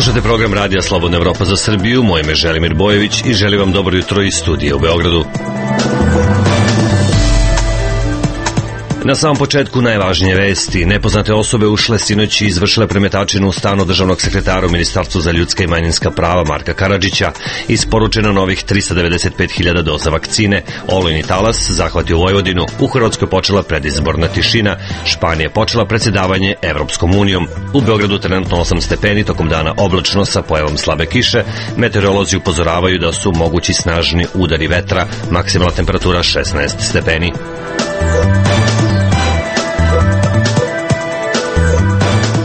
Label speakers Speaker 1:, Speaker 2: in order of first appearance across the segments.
Speaker 1: Slušate program Radija Slobodna Evropa za Srbiju, moje ime je Želimir Bojević i želim vam dobro jutro iz studija u Beogradu. Na samom početku najvažnije vesti. Nepoznate osobe ušle sinoć i izvršile premetačinu u stanu državnog sekretara u Ministarstvu za ljudska i manjinska prava Marka Karadžića. Isporučeno novih 395.000 doza vakcine. Olujni talas zahvatio Vojvodinu. U Hrvatskoj počela predizborna tišina. Španija počela predsjedavanje Evropskom unijom. U Beogradu trenutno 8 stepeni, tokom dana oblačno sa pojavom slabe kiše. Meteorolozi upozoravaju da su mogući snažni udari vetra. Maksimalna temperatura 16 stepeni.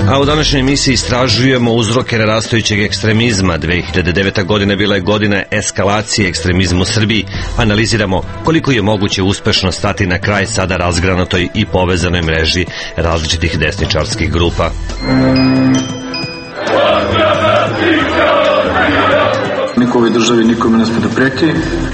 Speaker 1: A u današnjoj emisiji istražujemo uzroke narastajućeg ekstremizma. 2009. godina bila je godina eskalacije ekstremizma u Srbiji. Analiziramo koliko je moguće uspešno stati na kraj sada razgranatoj i povezanoj mreži različitih desničarskih grupa.
Speaker 2: Niko u ovoj državi nikome ne sme da preti.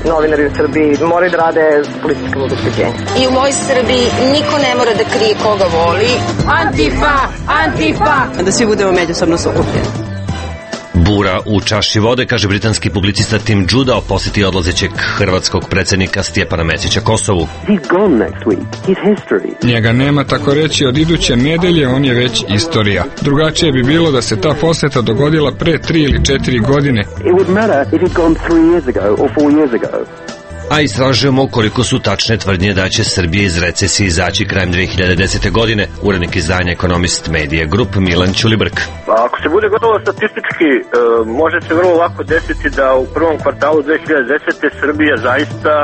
Speaker 3: Novinari u Srbiji moraju da rade s političkim obezbeđenjem.
Speaker 4: I u mojoj Srbiji niko ne mora da krije koga voli.
Speaker 5: Antifa! Antifa! Da svi budemo međusobno sukupljeni.
Speaker 1: Bura u čaši vode, kaže britanski publicista Tim Judah o posjeti odlazećeg hrvatskog predsjednika Stjepana Mesića Kosovu.
Speaker 6: Njega nema, tako reći, od iduće nedelje, on je već istorija. Drugačije bi bilo da se ta posjeta dogodila pre 3 ili 4 godine.
Speaker 1: A istražujemo koliko su tačne tvrdnje da će Srbija iz recesije izaći krajem 2010. godine. Urednik izdanja Ekonomist Media Group Milan Ćulibrk.
Speaker 7: Ako se bude gotovo statistički, može se vrlo lako desiti da u prvom kvartalu 2010. Srbija zaista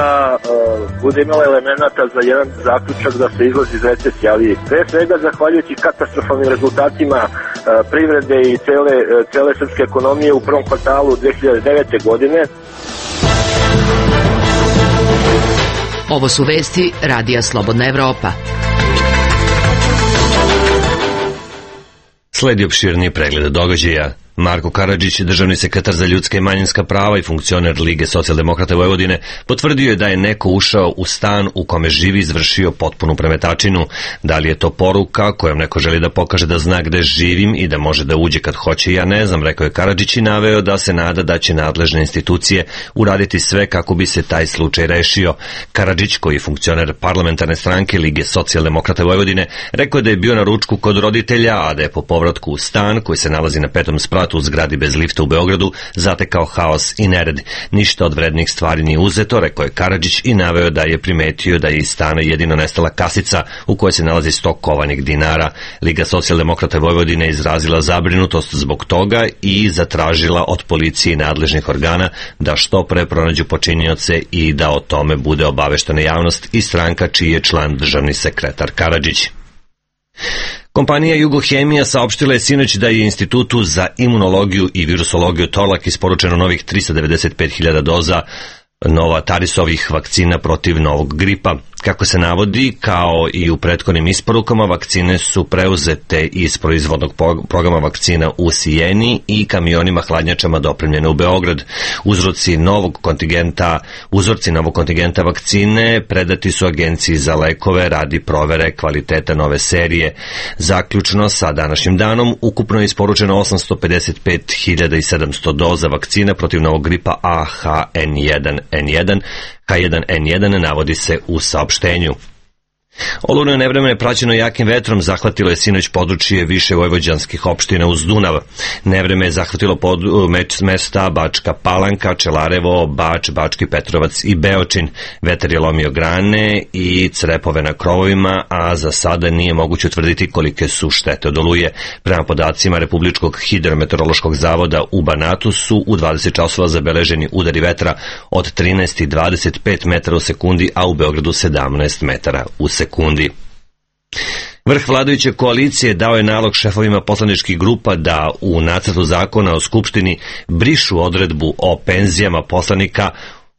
Speaker 7: bude imala elemenata za jedan zaključak da se izlazi iz recesije, ali pre svega zahvaljujući katastrofalnim rezultatima privrede i cele srpske ekonomije u prvom kvartalu 2009. godine.
Speaker 5: Ovo su vesti Radija Slobodna Evropa.
Speaker 1: Sledi opširniji pregled događaja. Marko Karadžić, državni sekretar za ljudska i manjinska prava i funkcioner Lige socijaldemokrata Vojvodine, potvrdio je da je neko ušao u stan u kome živi i izvršio potpunu premetačinu. Da li je to poruka kojom neko želi da pokaže da zna gde živim i da može da uđe kad hoće, ja ne znam, rekao je Karadžić i naveo da se nada da će nadležne institucije uraditi sve kako bi se taj slučaj rešio. Karadžić, koji je funkcioner parlamentarne stranke Lige socijaldemokrata Vojvodine, rekao je da je bio na ručku kod roditelja, a da je po povratku u stan koji se nalazi na 5. spratu u zgradi bez lifta u Beogradu zatekao haos i nered. Ništa od vrednih stvari nije uzeto, rekao je Karadžić i naveo da je primetio da je iz stana jedino nestala kasica u kojoj se nalazi 100 kovanih dinara. Liga socijaldemokrata Vojvodine izrazila zabrinutost zbog toga i zatražila od policije i nadležnih organa da što pre pronađu počinioce i da o tome bude obaveštena javnost i stranka čiji je član državni sekretar Karadžić. Kompanija Jugohemija saopštila je sinoć da je Institutu za imunologiju i virusologiju Torlak isporučeno novih 395.000 doza Novatarisovih vakcina protiv novog gripa. Kako se navodi, kao i u prethodnim isporukama, vakcine su preuzete iz proizvodnog programa vakcina u Sijeni i kamionima hladnjačama dopremljene u Beograd. Uzorci novog kontingenta vakcine predati su Agenciji za lekove radi provere kvaliteta nove serije. Zaključno sa današnjim danom, ukupno je isporučeno 855.700 doza vakcina protiv novog gripa H1N1, H1N1 navodi se u saopštenju. Olujno nevreme je praćeno jakim vetrom, zahvatilo je sinoć područje više vojvođanskih opština uz Dunav. Nevreme je zahvatilo mesta Bačka Palanka, Čelarevo, Bač, Bački Petrovac i Beočin. Vetar je lomio grane i crepove na krovovima, a za sada nije moguće utvrditi kolike su štete od oluje. Prema podacima Republičkog hidrometeorološkog zavoda u Banatu su u 20 časova zabeleženi udari vetra od 13 i 25 metara u sekundi, a u Beogradu 17 metara u sekundi. Vrh vladajuće koalicije dao je nalog šefovima poslaničkih grupa da u nacrtu zakona o Skupštini brišu odredbu o penzijama poslanika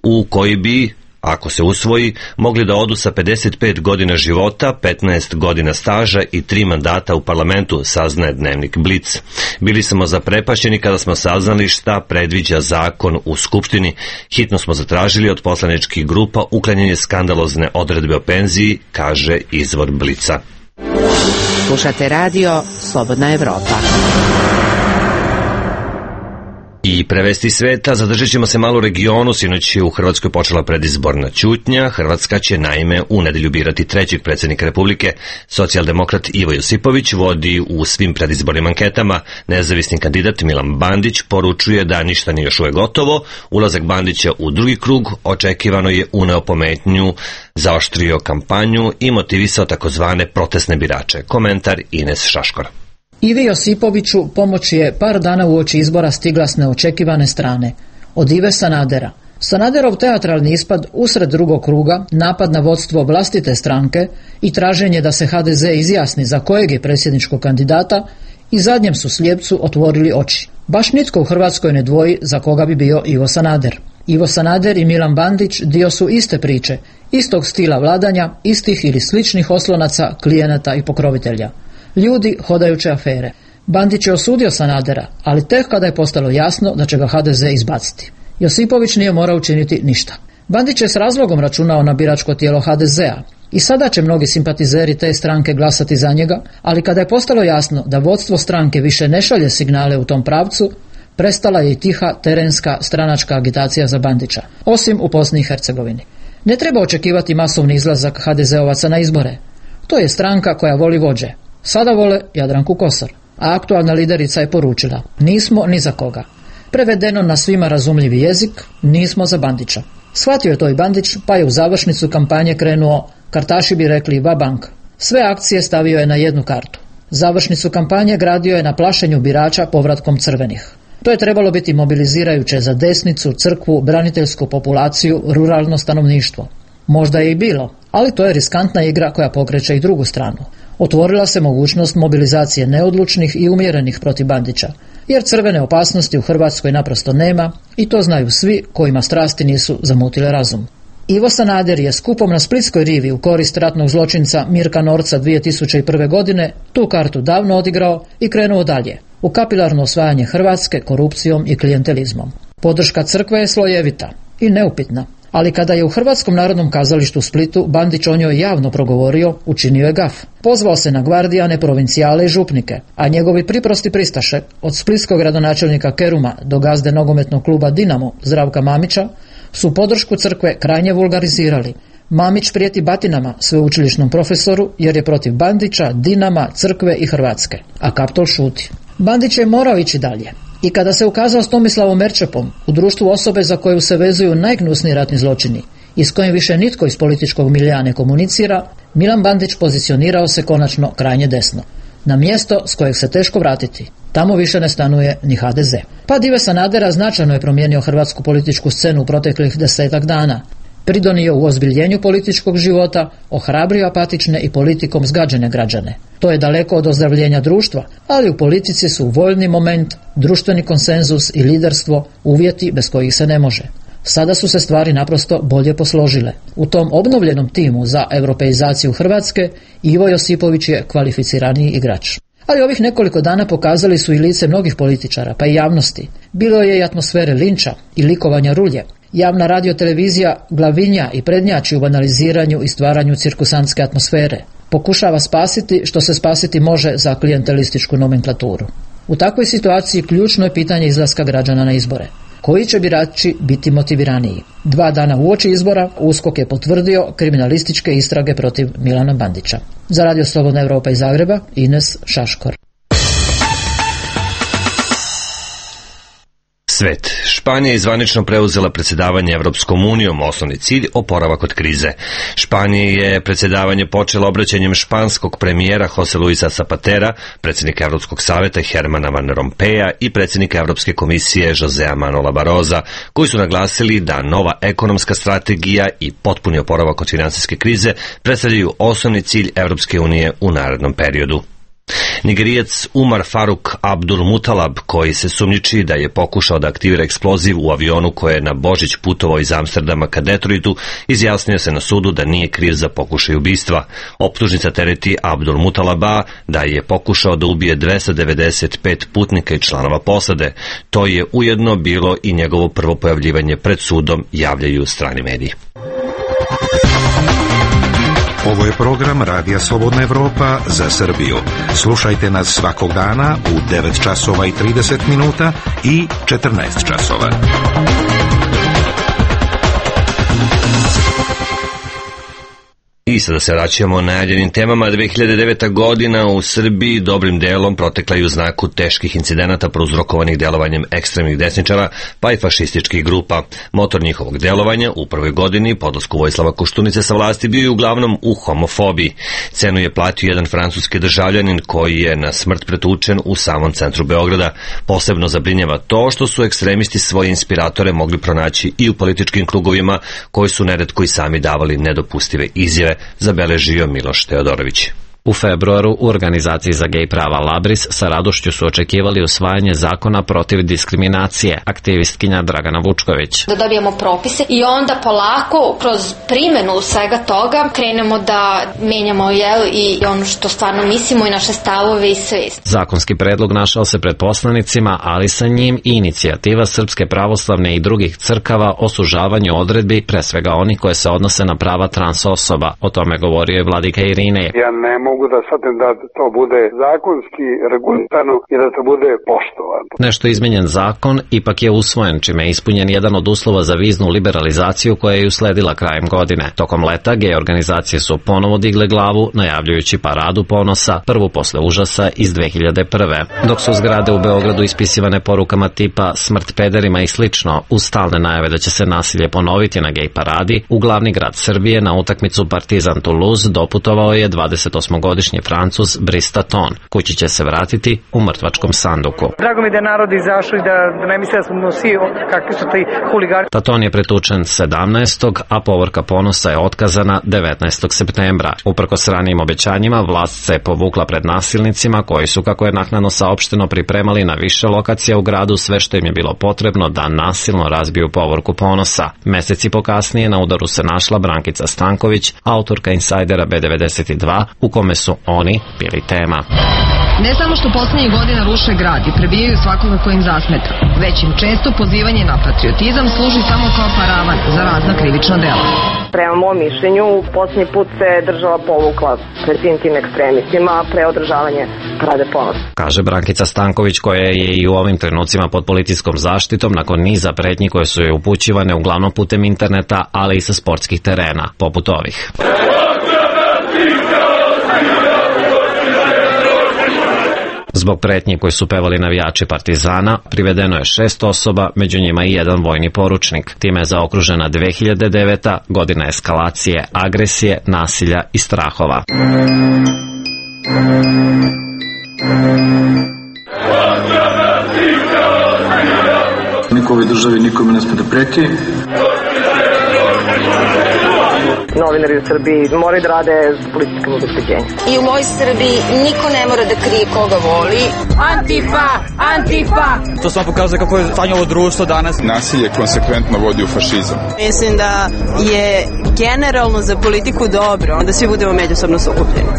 Speaker 1: u koji bi, ako se usvoji, mogli da odu sa 55 godina života, 15 godina staža i 3 mandata u parlamentu, saznaje dnevnik Blic. Bili smo zaprepašćeni kada smo saznali šta predviđa zakon u Skupštini. Hitno smo zatražili od poslaničkih grupa uklanjanje skandalozne odredbe o penziji, kaže izvor Blica.
Speaker 5: Slušate radio Slobodna Evropa.
Speaker 1: I prevesti sveta, zadržat ćemo se malo u regionu. Sinoć je u Hrvatskoj počela predizborna ćutnja. Hrvatska će naime u nedelju birati trećeg predsjednika Republike. Socijaldemokrat Ivo Josipović vodi u svim predizbornim anketama. Nezavisni kandidat Milan Bandić poručuje da ništa nije još uvek gotovo. Ulazak Bandića u drugi krug očekivano je uneo pometnju, zaoštrio kampanju i motivisao takozvane protestne birače. Komentar Ines Šaškora.
Speaker 8: Ivi Josipoviću pomoć je par dana uoči izbora stigla s neočekivane strane, od Ive Sanadera. Sanaderov teatralni ispad usred drugog kruga, napad na vodstvo vlastite stranke i traženje da se HDZ izjasni za kojeg je predsjedničkog kandidata i zadnjem su slijepcu otvorili oči. Baš nitko u Hrvatskoj ne dvoji za koga bi bio Ivo Sanader. Ivo Sanader i Milan Bandić dio su iste priče, istog stila vladanja, istih ili sličnih oslonaca, klijenata i pokrovitelja. Ljudi hodajuće afere. Bandić je osudio Sanadera, ali tek kada je postalo jasno da će ga HDZ izbaciti. Josipović nije morao učiniti ništa. Bandić je s razlogom računao na biračko tijelo HDZ-a. I sada će mnogi simpatizeri te stranke glasati za njega, ali kada je postalo jasno da vodstvo stranke više ne šalje signale u tom pravcu, prestala je i tiha terenska stranačka agitacija za Bandića, osim u Bosni i Hercegovini. Ne treba očekivati masovni izlazak HDZ-ovaca na izbore. To je stranka koja voli vođe. Sada vole Jadranku Kosor, a aktualna liderica je poručila: nismo ni za koga. Prevedeno na svima razumljivi jezik, nismo za Bandića. Shvatio je to i Bandić, pa je u završnicu kampanje krenuo, kartaši bi rekli, va-bank. Sve akcije stavio je na jednu kartu. Završnicu kampanje gradio je na plašenju birača povratkom crvenih. To je trebalo biti mobilizirajuće za desnicu, crkvu, braniteljsku populaciju, ruralno stanovništvo. Možda je i bilo, ali to je riskantna igra koja pokreće i drugu stranu. Otvorila se mogućnost mobilizacije neodlučnih i umjerenih protiv Bandića, jer crvene opasnosti u Hrvatskoj naprosto nema i to znaju svi kojima strasti nisu zamutile razum. Ivo Sanader je skupom na Splitskoj rivi u korist ratnog zločinca Mirka Norca 2001. godine tu kartu davno odigrao i krenuo dalje, u kapilarno osvajanje Hrvatske korupcijom i klijentelizmom. Podrška crkve je slojevita i neupitna, ali kada je u Hrvatskom narodnom kazalištu u Splitu Bandić o njoj javno progovorio, učinio je gaf. Pozvao se na gvardijane, provincijale i župnike, a njegovi priprosti pristaše, od splitskog gradonačelnika Keruma do gazde nogometnog kluba Dinamo Zdravka Mamića, su podršku crkve krajnje vulgarizirali. Mamić prijeti batinama sveučilišnom profesoru jer je protiv Bandića, Dinama, crkve i Hrvatske, a Kaptol šuti. Bandić je morao ići dalje. I kada se ukazao s Tomislavom Merčepom u društvu osobe za koju se vezuju najgnusniji ratni zločini i s kojim više nitko iz političkog miljea ne komunicira, Milan Bandić pozicionirao se konačno krajnje desno, na mjesto s kojeg se teško vratiti. Tamo više ne stanuje ni HDZ. Pad Ive Sanadera značajno je promijenio hrvatsku političku scenu u proteklih 10 dana. Pridonio u ozbiljenju političkog života, ohrabrio apatične i politikom zgađene građane. To je daleko od ozdravljenja društva, ali u politici su voljni moment, društveni konsenzus i liderstvo uvjeti bez kojih se ne može. Sada su se stvari naprosto bolje posložile. U tom obnovljenom timu za europeizaciju Hrvatske Ivo Josipović je kvalificiraniji igrač. Ali ovih nekoliko dana pokazali su i lice mnogih političara, pa i javnosti. Bilo je i atmosfere linča i likovanja rulje. Javna radiotelevizija glavinja i prednjači u banaliziranju i stvaranju cirkusantske atmosfere. Pokušava spasiti što se spasiti može za klijentelističku nomenklaturu. U takvoj situaciji ključno je pitanje izlaska građana na izbore. Koji će birači biti motiviraniji? 2 dana uoči izbora USKOK je potvrdio kriminalističke istrage protiv Milana Bandića. Za Radio Slobodna Europa iz Zagreba, Ines Šaškor.
Speaker 1: Svet. Španija je zvanično preuzela predsjedavanje Evropskom unijom, osnovni cilj oporavak od krize. Španija je predsjedavanje počela obraćanjem španskog premijera Jose Luisa Zapatera, predsjednika Evropskog savjeta Hermana Van Rompuya i predsjednika Evropske komisije Josea Manuela Barrosa, koji su naglasili da nova ekonomska strategija i potpuni oporavak od finansijske krize predstavljaju osnovni cilj Evropske unije u narednom periodu. Nigerijac Umar Faruk Abdul Mutalab, koji se sumnjiči da je pokušao da aktivira eksploziv u avionu koje je na Božić putovao iz Amsterdama ka Detroitu, izjasnio se na sudu da nije kriv za pokušaj ubistva. Optužnica tereti Abdul Mutalaba da je pokušao da ubije 295 putnika i članova posade. To je ujedno bilo i njegovo prvo pojavljivanje pred sudom, javljaju strani mediji.
Speaker 9: Ovo je program Radija Slobodna Evropa za Srbiju. Slušajte nas svakog dana u 9 časova i 30 minuta i 14 časova.
Speaker 1: I sada se vraćamo najavljenim temama. 2009. godina u Srbiji dobrim delom protekla i u znaku teških incidenata prouzrokovanih delovanjem ekstremnih desničara pa i fašističkih grupa. Motor njihovog delovanja u prvoj godini po odlasku Vojislava Koštunice sa vlasti bio je uglavnom u homofobiji. Cenu je platio jedan francuski državljanin koji je na smrt pretučen u samom centru Beograda. Posebno zabrinjava to što su ekstremisti svoje inspiratore mogli pronaći i u političkim krugovima koji su neretko i sami davali nedopustive izjave, zabeležio Miloš Teodorović.
Speaker 10: U februaru u organizaciji za gej prava Labris sa radošću su očekivali usvajanje zakona protiv diskriminacije, aktivistkinja Dragana Vučković.
Speaker 4: Da dobijemo propise i onda polako kroz primjenu svega toga krenemo da menjamo i ono što stvarno mislimo i naše stavove i svest.
Speaker 10: Zakonski predlog našao se pred poslanicima, ali sa njim i inicijativa Srpske pravoslavne i drugih crkava o sužavanju odredbi, pre svega oni koje se odnose na prava trans osoba. O tome govorio je vladika Irinej.
Speaker 11: Ja ne mogu da shvatim da to bude zakonski regulisano i da to bude poštovano.
Speaker 10: Nešto izmenjen zakon ipak je usvojen, čime je ispunjen jedan od uslova za viznu liberalizaciju koja je usledila krajem godine. Tokom leta gej organizacije su ponovo digle glavu, najavljujući paradu ponosa, prvu posle užasa iz 2001. Dok su zgrade u Beogradu ispisivane porukama tipa smrt pederima i slično, uz stalne najave da će se nasilje ponoviti na gej paradi, u glavni grad Srbije na utakmicu Partizan Toulouse doputovao je 28-godišnji Francuz Brice Taton. Kući će se vratiti u mrtvačkom sanduku.
Speaker 3: Drago mi da je narod izašao i da ne misle da smo svi kakvi su ti huligani.
Speaker 10: Taton je pretučen 17. a povorka ponosa je otkazana 19. septembra. Uprkos ranijim obećanjima, vlast se povukla pred nasilnicima koji su, kako je naknadno saopšteno, pripremali na više lokacija u gradu sve što im je bilo potrebno da nasilno razbiju povorku ponosa. Meseci pokasnije na udaru se našla Brankica Stanković, autorka Insajdera B92, u kome su oni bili tema.
Speaker 12: Ne samo što poslednjih godina ruše grad i prebijaju svakoga ko im zasmeta, već im često pozivanje na patriotizam služi samo kao paravan za razna krivična dela.
Speaker 3: Prema mom mišljenju, posljednji put se država povukla pred tim ekstremistima pre održavanje parade ponosa.
Speaker 10: Kaže Brankica Stanković, koja je i u ovim trenucima pod policijskom zaštitom nakon niza pretnji koje su joj upućivane uglavnom putem interneta, ali i sa sportskih terena, poput ovih. Zbog pretnji koji su pevali navijači Partizana, privedeno je 6 osoba, među njima i jedan vojni poručnik. Time je zaokružena 2009. godina eskalacije, agresije, nasilja i strahova.
Speaker 2: Niko u ovoj državi nikome ne sme da preti.
Speaker 3: Novinari u Srbiji moraju da rade s političkim obezbeđenjem.
Speaker 4: I u mojoj Srbiji niko ne mora da krije koga voli.
Speaker 5: Antifa! Antifa!
Speaker 13: To samo pokazuje kako je stanje ovo društvo danas.
Speaker 14: Nasilje konsekventno vodi u fašizam.
Speaker 5: Mislim da je generalno za politiku dobro da svi budemo međusobno sukupljeni.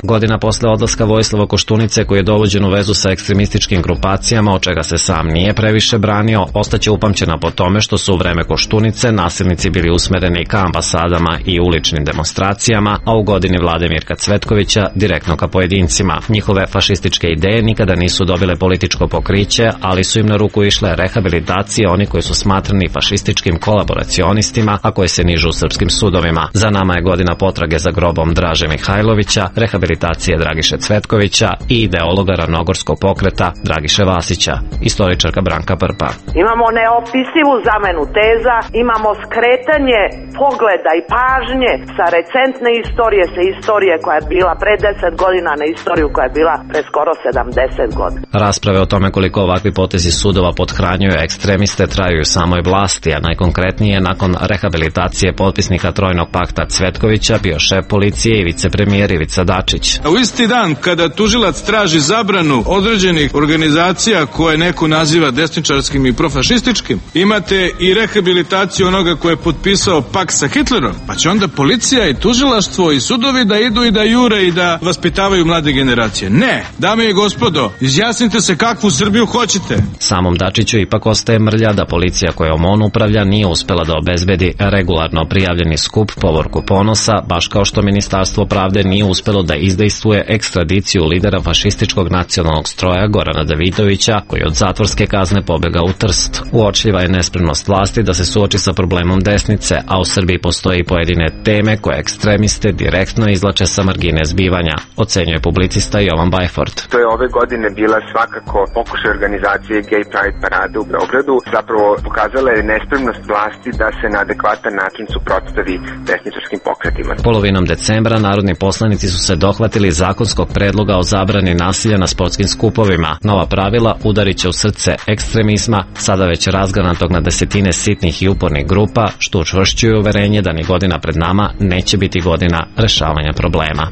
Speaker 10: Godina posle odlaska Vojislava Koštunice, koji je dovođen u vezu sa ekstremističkim grupacijama, od čega se sam nije previše branio, ostaće upamćena po tome što su u vreme Koštunice nasilnici bili usmereni ka ambasadama i uličnim demonstracijama, a u godini vlade Mirka Cvetkovića direktno ka pojedincima. Njihove fašističke ideje nikada nisu dobile političko pokriće, ali su im na ruku išle rehabilitacije oni koji su smatrani fašističkim kolaboracionistima, a koji se nižu u srpskim sudovima. Za nama je godina potrage za grobom Draže Mihajlovića, rehabilitacije Dragiše Cvetkovića i ideologa ravnogorskog pokreta Dragiše Vasića. Istoričarka Branka Prpa.
Speaker 15: Imamo neopisivu zamenu teza, imamo skretanje pogleda i pažnje sa recentne istorije, sa istorije koja je bila pre 10 godina na istoriju koja je bila pre skoro 70 godina.
Speaker 10: Rasprave o tome koliko ovakvi potezi sudova pothranjuju ekstremiste traju u samoj vlasti, a najkonkretnije nakon rehabilitacije potpisnika Trojnog pakta Cvetkovića bio šef policije i vicepremijer Ivica Dačić. Đurić.
Speaker 16: U isti dan kada tužilac traži zabranu određenih organizacija koje neko naziva desničarskim i profašističkim, imate i rehabilitaciju onoga ko je potpisao pakt sa Hitlerom, pa će onda policija i tužilaštvo i sudovi da idu i da jure i da vaspitavaju mlade generacije. Ne, dame i gospodo, izjasnite se kakvu Srbiju hoćete.
Speaker 10: Samom Dačiću ipak ostaje mrlja da policija kojom on upravlja nije uspela da obezbedi regularno prijavljeni skup Povorku Ponosa, baš kao što Ministarstvo pravde nije uspelo da izdejstvuje ekstradiciju lidera fašističkog nacionalnog stroja Gorana Davidovića, koji od zatvorske kazne pobega u Trst. Uočljiva je nespremnost vlasti da se suoči sa problemom desnice, a u Srbiji postoji pojedine teme koje ekstremiste direktno izlače sa margine zbivanja, ocenjuje publicista Jovan Bajford.
Speaker 17: To je ove godine bila svakako pokušaj organizacije Gay Pride parade u Beogradu. Zapravo pokazala je nespremnost vlasti da se na adekvatan način suprotstavi desničarskim pokretima.
Speaker 10: Polovinom decembra narodni poslanici su se dohvatili zakonskog predloga o zabrani nasilja na sportskim skupovima. Nova pravila udarit će u srce ekstremizma, sada već razgranatog na desetine sitnih i upornih grupa, što učvršćuje uverenje da ni godina pred nama neće biti godina rešavanja problema.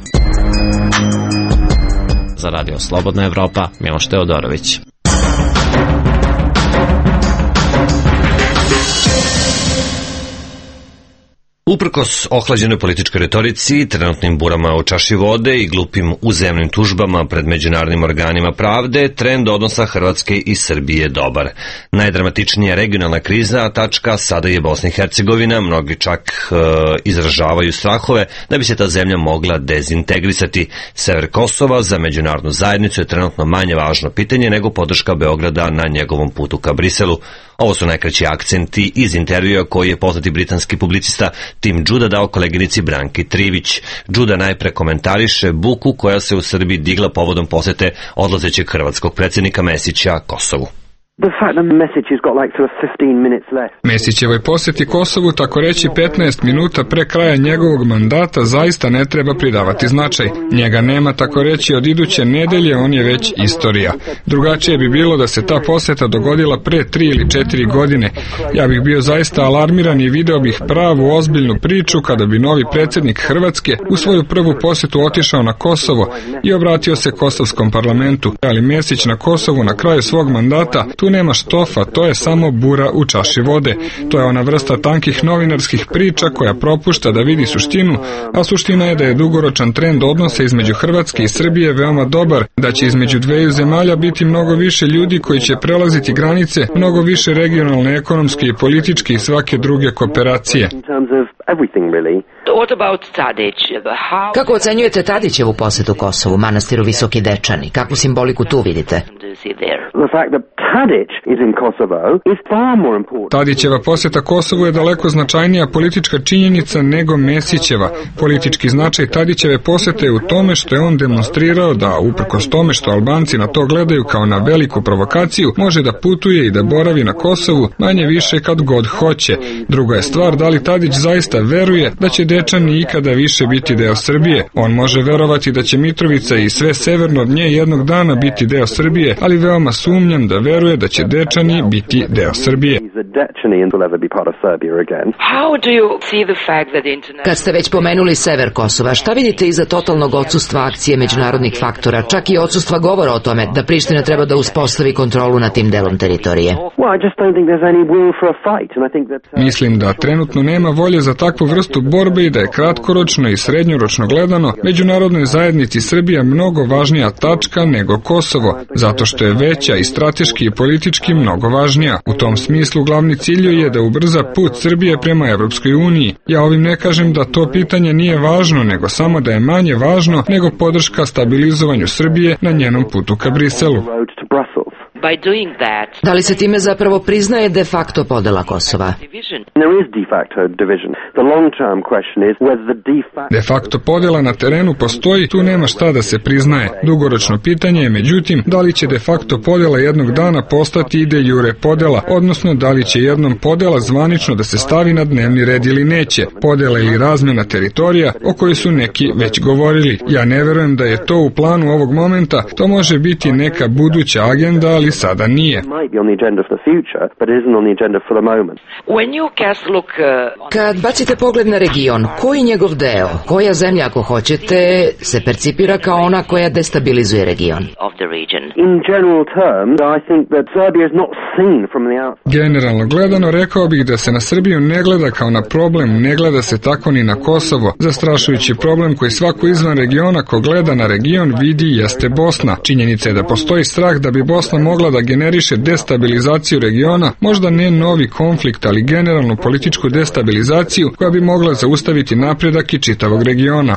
Speaker 10: Za Radio Slobodna Evropa, Miloš Teodorović.
Speaker 1: Uprkos ohlađenoj političkoj retorici, trenutnim burama u čaši vode i glupim uzajamnim tužbama pred međunarodnim organima pravde, trend odnosa Hrvatske i Srbije je dobar. Najdramatičnija regionalna kriza tačka sada je Bosna i Hercegovina, mnogi čak izražavaju strahove da bi se ta zemlja mogla dezintegrisati. Sever Kosova za međunarodnu zajednicu je trenutno manje važno pitanje nego podrška Beograda na njegovom putu ka Briselu. Ovo su najkraći akcenti iz intervjua koji je poznati britanski publicista Tim Đuda dao koleginici Branki Trivić. Đuda najpre komentariše buku koja se u Srbiji digla povodom posete odlazećeg hrvatskog predsjednika Mesića Kosovu.
Speaker 6: Mesićevoj posjeti Kosovu, tako reći 15 minuta pre kraja njegovog mandata, zaista ne treba pridavati značaj. Njega nema, tako reći, od iduće nedelje, on je već istorija. Drugačije bi bilo da se ta posjeta dogodila pre 3 ili 4 godine. Ja bih bio zaista alarmiran i video bih pravu ozbiljnu priču kada bi novi predsjednik Hrvatske u svoju prvu posjetu otišao na Kosovo i obratio se kosovskom parlamentu. Ali Mesić na Kosovu na kraju svog mandata, tu nema štofa, to je samo bura u čaši vode. To je ona vrsta tankih novinarskih priča koja propušta da vidi suštinu, a suština je da je dugoročan trend odnosa između Hrvatske i Srbije veoma dobar, da će između dveju zemalja biti mnogo više ljudi koji će prelaziti granice, mnogo više regionalne, ekonomske i političke i svake druge kooperacije.
Speaker 18: Kako ocenjujete Tadićevu posjetu Kosovu, manastiru Visoki Dečani? Kakvu simboliku tu vidite?
Speaker 6: Tadićeva posjeta Kosovu je daleko značajnija politička činjenica nego Mesićeva. Politički značaj Tadićeve posjete je u tome što je on demonstrirao da, uprkos tome što Albanci na to gledaju kao na veliku provokaciju, može da putuje i da boravi na Kosovu manje više kad god hoće. Druga je stvar da li Tadić zaista veruje da će Dečani ikada više biti deo Srbije. On može verovati da će Mitrovica i sve severno od nje jednog dana biti deo Srbije, ali veoma sumnjam da veruje da će Dečani biti deo Srbije.
Speaker 18: Kad ste već pomenuli sever Kosova, šta vidite iza totalnog odsustva akcije međunarodnih faktora, čak i odsustva govora o tome da Priština treba da uspostavi kontrolu nad tim delom teritorije?
Speaker 6: Mislim da trenutno nema volje za takvu vrstu borbe i da je kratkoročno i srednjoročno gledano međunarodnoj zajednici Srbija mnogo važnija tačka nego Kosovo, zato što je veća i strateški i politički mnogo važnija. U tom smislu glavni cilj je da ubrza put Srbije prema Evropskoj uniji. Ja ovim ne kažem da to pitanje nije važno, nego samo da je manje važno nego podrška stabilizovanju Srbije na njenom putu ka Briselu.
Speaker 18: Da li se time zapravo priznaje de facto podela Kosova?
Speaker 6: De facto podela na terenu postoji, tu nema šta da se priznaje. Dugoročno pitanje je, međutim, da li će de facto podela jednog dana postati i de jure podela, odnosno da li će jednom podela zvanično da se stavi na dnevni red ili neće. Podela ili razmjena teritorija o kojoj su neki već govorili. Ja ne verujem da je to u planu ovog momenta, to može biti neka buduća agenda, ali sada nije.
Speaker 18: Kad bacite pogled na region, koji njegov deo, koja zemlja ako hoćete, se percipira kao ona koja destabilizuje region?
Speaker 6: Generalno gledano, rekao bih da se na Srbiju ne gleda kao na problem, ne gleda se tako ni na Kosovo. Zastrašujući problem koji svako izvan regiona ko gleda na region vidi jeste Bosna. Činjenica je da postoji strah da bi Bosna mogla da generiše destabilizaciju regiona, možda ne novi konflikt, ali generalnu političku destabilizaciju koja bi mogla zaustaviti napredak i čitavog regiona.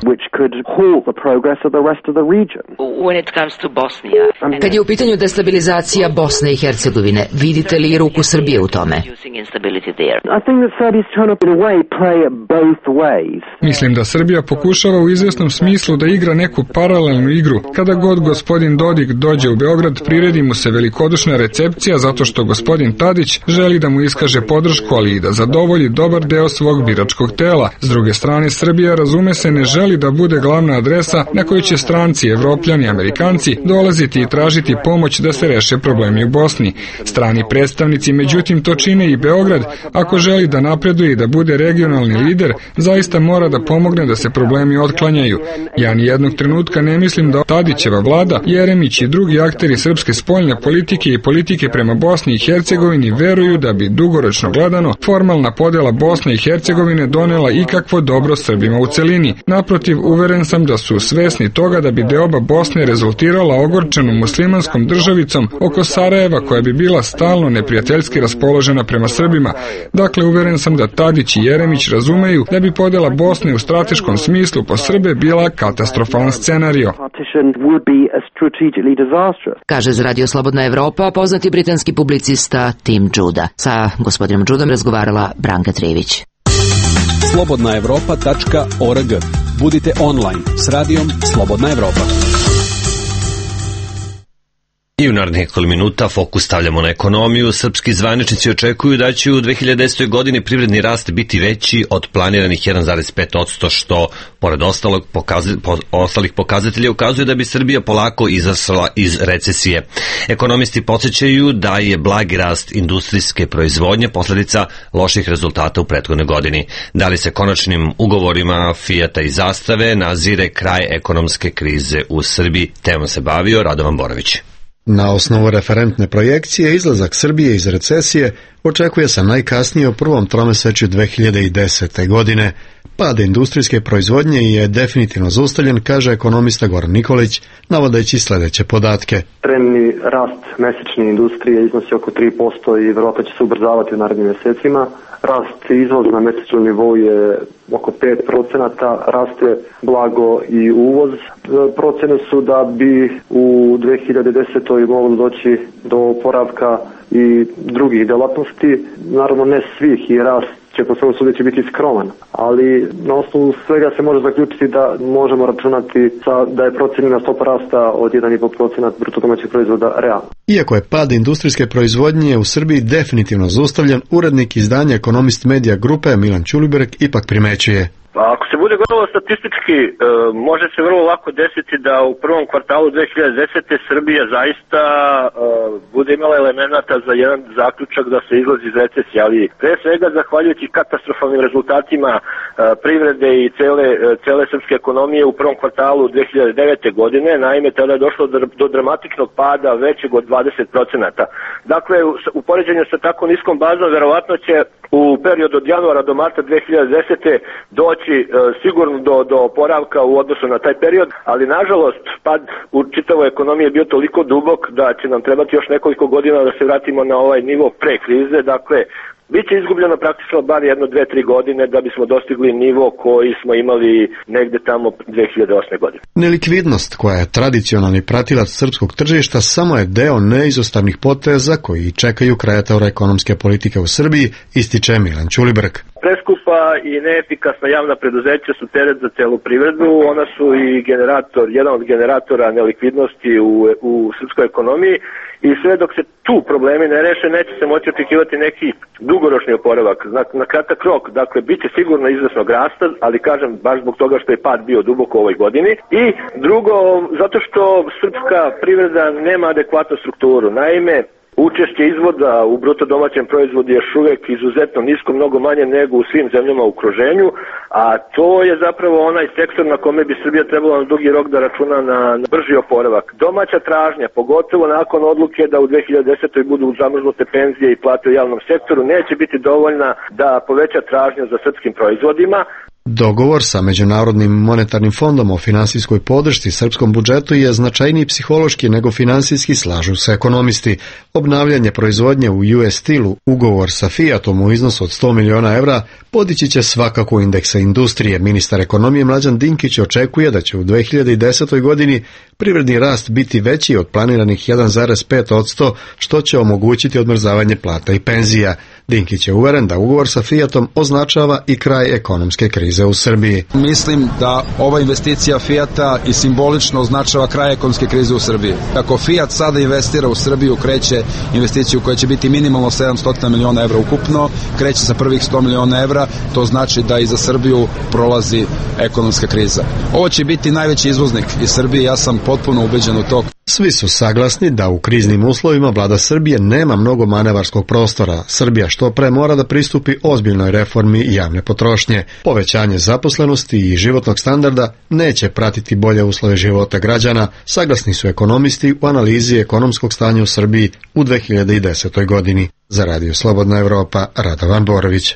Speaker 18: Kad je u pitanju destabilizacija Bosne i Hercegovine, vidite li ruku Srbije u tome?
Speaker 6: Mislim da Srbija pokušava u izvesnom smislu da igra neku paralelnu igru. Kada god gospodin Dodik dođe u Beograd, priredi mu se velikodušna recepcija zato što gospodin Tadić želi da mu iskaže podršku, ali i da zadovolji dobar deo svog biračkog tela. S druge strane, Srbija, razume se, ne želi da bude glavna adresa na koju će stranci, Evropljani, Amerikanci dolaziti i tražiti pomoć da se reše problemi u Bosni. Strani predstavnici, međutim, to čine i Beograd. Ako želi da napreduje i da bude regionalni lider, zaista mora da pomogne da se problemi otklanjaju. Ja ni jednog trenutka ne mislim da Tadićeva vlada, Jeremić i drugi akteri srpske spoljne politike i politike prema Bosni i Hercegovini veruju da bi dugoročno gledano formalna podela Bosne i Hercegovine donela ikakvo dobro Srbima u celini. Naprotiv, uveren sam da su svesni toga da bi deoba Bosne rezultirala ogorčenom muslimanskom državicom oko Sarajeva koja bi bila stalno neprijateljski raspoložena prema Srbima. Dakle, uveren sam da Tadić i Jeremić razumeju da bi podela Bosne u strateškom smislu po Srbe bila katastrofalan scenario.
Speaker 18: Kaže za Radio Slobodna Evropa poznati britanski publicista Tim Juda. Sa gospodinom Judom razgovarala Branka Trivić.
Speaker 19: slobodnaevropa.org. Budite online s radijom Slobodna Evropa.
Speaker 1: I u narednih nekoliko minuta fokus stavljamo na ekonomiju. Srpski zvaničnici očekuju da će u 2010. godini privredni rast biti veći od planiranih 1,5%, što pored ostalih pokazatelja ukazuje da bi Srbija polako izašla iz recesije. Ekonomisti podsjećaju da je blagi rast industrijske proizvodnje posljedica loših rezultata u prethodnoj godini. Da li se konačnim ugovorima Fijata i Zastave nazire kraj ekonomske krize u Srbiji? Temom se bavio Radovan Borović.
Speaker 20: Na osnovu referentne projekcije, izlazak Srbije iz recesije očekuje se najkasnije u prvom tromesečju 2010. godine. Pad industrijske proizvodnje je definitivno zaustavljen, kaže ekonomista Goran Nikolić, navodeći sledeće podatke.
Speaker 21: Trenutni rast mesečne industrije iznosi oko 3% i verovatno će se ubrzavati u narednim mesecima. Rast izvoza na mesečnom nivou je oko 5%, raste blago i uvoz. Procene su da bi u 2010. moglo doći do oporavka i drugih delatnosti. Naravno ne svih i rast će po svemu sudeći biti skroman, ali na osnovu svega se može zaključiti da možemo računati da je procenjena stopa rasta od 1,5% bruto domaćeg proizvoda realna.
Speaker 20: Iako je pad industrijske proizvodnje u Srbiji definitivno zaustavljen, urednik izdanja Ekonomist Media grupe Milan Ćulibrk ipak primećuje.
Speaker 7: Ako se bude gledalo statistički, može se vrlo lako desiti da u prvom kvartalu 2010. Srbija zaista bude imala elemenata za jedan zaključak da se izlazi iz recesije, ali pre svega zahvaljujući katastrofalnim rezultatima privrede i cele srpske ekonomije u prvom kvartalu 2009. godine, naime tada je došlo do dramatičnog pada većeg od 20%. Dakle, u poređenju sa tako niskom bazom, verovatno će u periodu od januara do marta 2010. doći sigurno do oporavka u odnosu na taj period, ali nažalost pad u čitavoj ekonomiji je bio toliko dubok da će nam trebati još nekoliko godina da se vratimo na ovaj nivo pre krize. Dakle, biće izgubljeno praktično bar 1-2-3 godine da bismo dostigli nivo koji smo imali negde tamo 2008. godine.
Speaker 20: Nelikvidnost, koja je tradicionalni pratilac srpskog tržišta, samo je deo neizostavnih poteza koji čekaju kreatora ekonomske politike u Srbiji, ističe Milan Ćulibrk.
Speaker 7: Preskupa i neefikasna javna preduzeća su teret za celu privredu, ona su i jedan od generatora nelikvidnosti u srpskoj ekonomiji i sve dok se tu problemi ne reše neće se moći očekivati neki dugoročni oporavak. Na kratak rok, dakle, bit će sigurno izvesnog rasta, ali kažem baš zbog toga što je pad bio duboko u ovoj godini i drugo, zato što srpska privreda nema adekvatnu strukturu. Naime, učešće izvoza u bruto domaćem proizvodu je još uvek izuzetno nisko, mnogo manje nego u svim zemljama u okruženju, a to je zapravo onaj sektor na kome bi Srbija trebala na dugi rok da računa na brži oporavak. Domaća tražnja, pogotovo nakon odluke da u 2010. budu zamrznute penzije i plate u javnom sektoru, neće biti dovoljna da poveća tražnju za srpskim proizvodima.
Speaker 20: Dogovor sa Međunarodnim monetarnim fondom o finansijskoj podršci srpskom budžetu je značajniji psihološki nego finansijski, slažu se ekonomisti. Obnavljanje proizvodnje u US stilu, ugovor sa Fiatom u iznosu od 100 miliona evra, podići će svakako indeksa industrije. Ministar ekonomije Mlađan Dinkić očekuje da će u 2010. godini privredni rast biti veći od planiranih 1,5%, što će omogućiti odmrzavanje plata i penzija. Dinkić je uveren da ugovor sa Fiatom označava i kraj ekonomske krize u Srbiji.
Speaker 19: Mislim da ova investicija Fiata i simbolično označava kraj ekonomske krize u Srbiji. Ako Fiat sada investira u Srbiju, kreće investiciju koja će biti minimalno 700 miliona evra ukupno, kreće sa prvih 100 miliona evra, to znači da i za Srbiju prolazi ekonomska kriza. Ovo će biti najveći izvoznik iz Srbije, ja sam potpuno ubeđen u to.
Speaker 20: Svi su saglasni da u kriznim uslovima vlada Srbije nema mnogo manevarskog prostora. Srbija što pre mora da pristupi ozbiljnoj reformi javne potrošnje. Povećanje zaposlenosti i životnog standarda neće pratiti bolje uslove života građana, saglasni su ekonomisti u analizi ekonomskog stanja u Srbiji u 2010. godini. Za Radio Slobodna Evropa, Radovan Borović.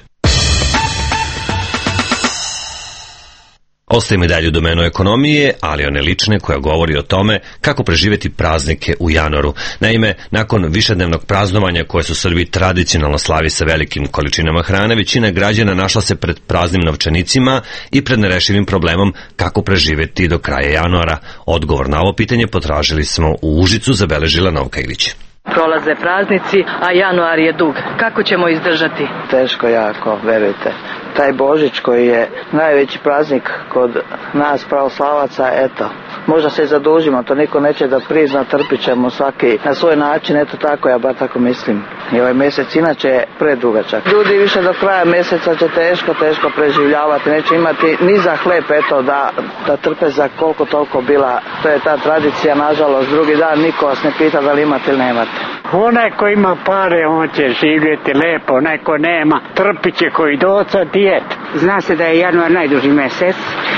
Speaker 1: Ostajemo i dalje u domenu ekonomije, ali one lične koja govori o tome kako preživjeti praznike u januaru. Naime, nakon višednevnog praznovanja koje su Srbi tradicionalno slavi sa velikim količinama hrane, većina građana našla se pred praznim novčanicima i pred nerešivim problemom kako preživjeti do kraja januara. Odgovor na ovo pitanje potražili smo u Užicu, zabeležila Novka Ilić.
Speaker 8: Prolaze praznici, a januar je dug. Kako ćemo izdržati?
Speaker 22: Teško jako, verujte. Taj Božić koji je najveći praznik kod nas pravoslavaca, eto, možda se i zadužimo, to niko neće da prizna, trpit ćemo svaki na svoj način, eto tako, ja bar tako mislim. I ovaj mjesec inače je predugačak. Ljudi više do kraja mjeseca će teško preživljavati, neće imati ni za hleb, eto, da trpe za koliko toliko bila. To je ta tradicija, nažalost, drugi dan niko vas ne pita da li imate ili nemate.
Speaker 23: Onaj ko ima pare, on će živjeti lepo, onaj ko nema, trpit će koji doca dijet.
Speaker 24: Zna se da je januar najduži mjesec.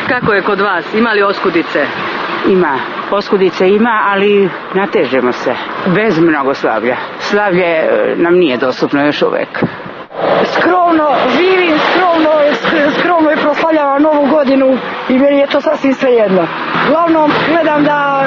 Speaker 8: Kako je kod vas? Ima li oskudice?
Speaker 24: Ima. Oskudice ima, ali natežemo se. Bez mnogo slavlja. Slavlje nam nije dostupno još uvek.
Speaker 25: Skromno živim, skromno i proslavljavam Novu godinu i meni je to sasvim svejedno. Uglavnom gledam da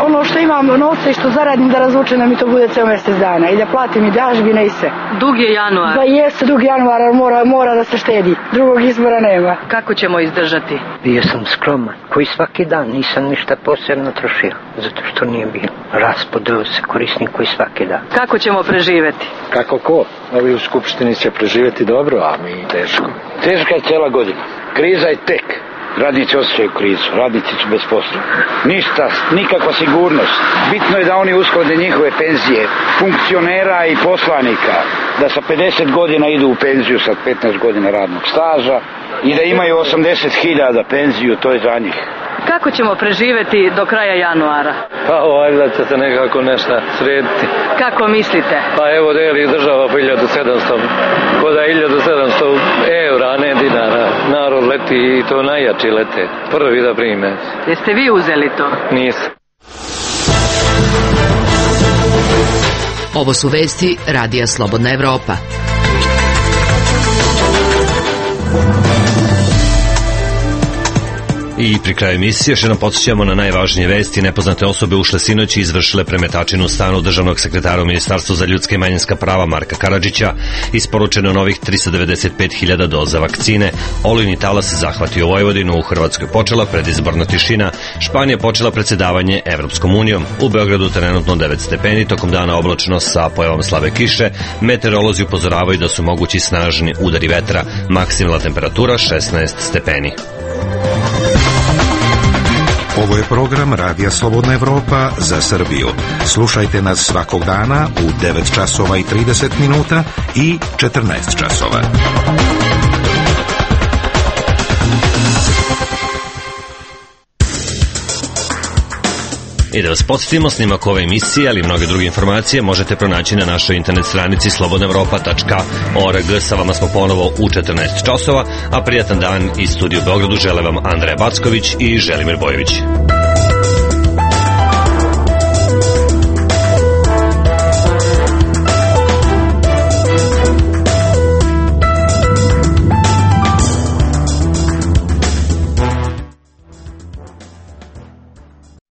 Speaker 25: ono što imam novce i što zaradim da razvučem da mi to bude ceo mjesec dana i da platim i dažbine i sve.
Speaker 8: Dug je januar.
Speaker 25: Da jeste dug januar, mora da se štedi. Drugog izbora nema.
Speaker 8: Kako ćemo izdržati?
Speaker 26: Bio sam skroman, koji svaki dan nisam ništa posebno trošio, zato što nije bilo. Raspodelo se korisni koji svaki dan.
Speaker 8: Kako ćemo preživjeti?
Speaker 27: Kako ko? Ovi u Skupštini će preživjeti dobro, a mi teško. Teška je cijela godina. Kriza je tek. Radnici osjećaju krizu, radnici su bez posla. Ništa, nikakva sigurnost. Bitno je da oni usklade njihove penzije, funkcionera i poslanika, da sa 50 godina idu u penziju sa 15 godina radnog staža i da imaju 80.000 penziju, to je za njih.
Speaker 8: Kako ćemo preživjeti do kraja januara?
Speaker 28: Pa valjda će se nekako nešto srediti.
Speaker 8: Kako mislite?
Speaker 28: Pa evo deli država po 1700, ko da 1700 eura, a ne dinara. Narod leti i to najjači lete. Prvi da prime.
Speaker 8: Jeste vi uzeli to?
Speaker 28: Nisam.
Speaker 18: Ovo su vesti Radija Slobodna Evropa.
Speaker 1: I pri kraju emisije još jednom podsjećamo na najvažnije vesti. Nepoznate osobe ušle sinoć i izvršile premetačinu u stanu državnog sekretara u Ministarstvu za ljudska i manjinska prava Marka Karadžića. Isporučeno novih 395.000 doza vakcine. Olujni talas zahvatio Vojvodinu. U Hrvatskoj počela predizborna tišina. Španija počela predsjedavanje Evropskom unijom. U Beogradu trenutno 9 stepeni, tokom dana oblačno sa pojavom slabe kiše. Meteorolozi upozoravaju da su mogući snažni udari vetra. Maksimalna temperatura 16 stepeni.
Speaker 2: Ovo je program Radija Slobodna Evropa za Srbiju. Slušajte nas svakog dana u 9 časova i 30 minuta i 14 časova.
Speaker 1: I da vas podsjetimo, snimak ove emisije, ali i mnoge druge informacije možete pronaći na našoj internet stranici slobodnaevropa.org. Sa vama smo ponovo u 14 časova, a prijatan dan iz studiju u Beogradu žele vam Andreja Backović i Želimir Bojović.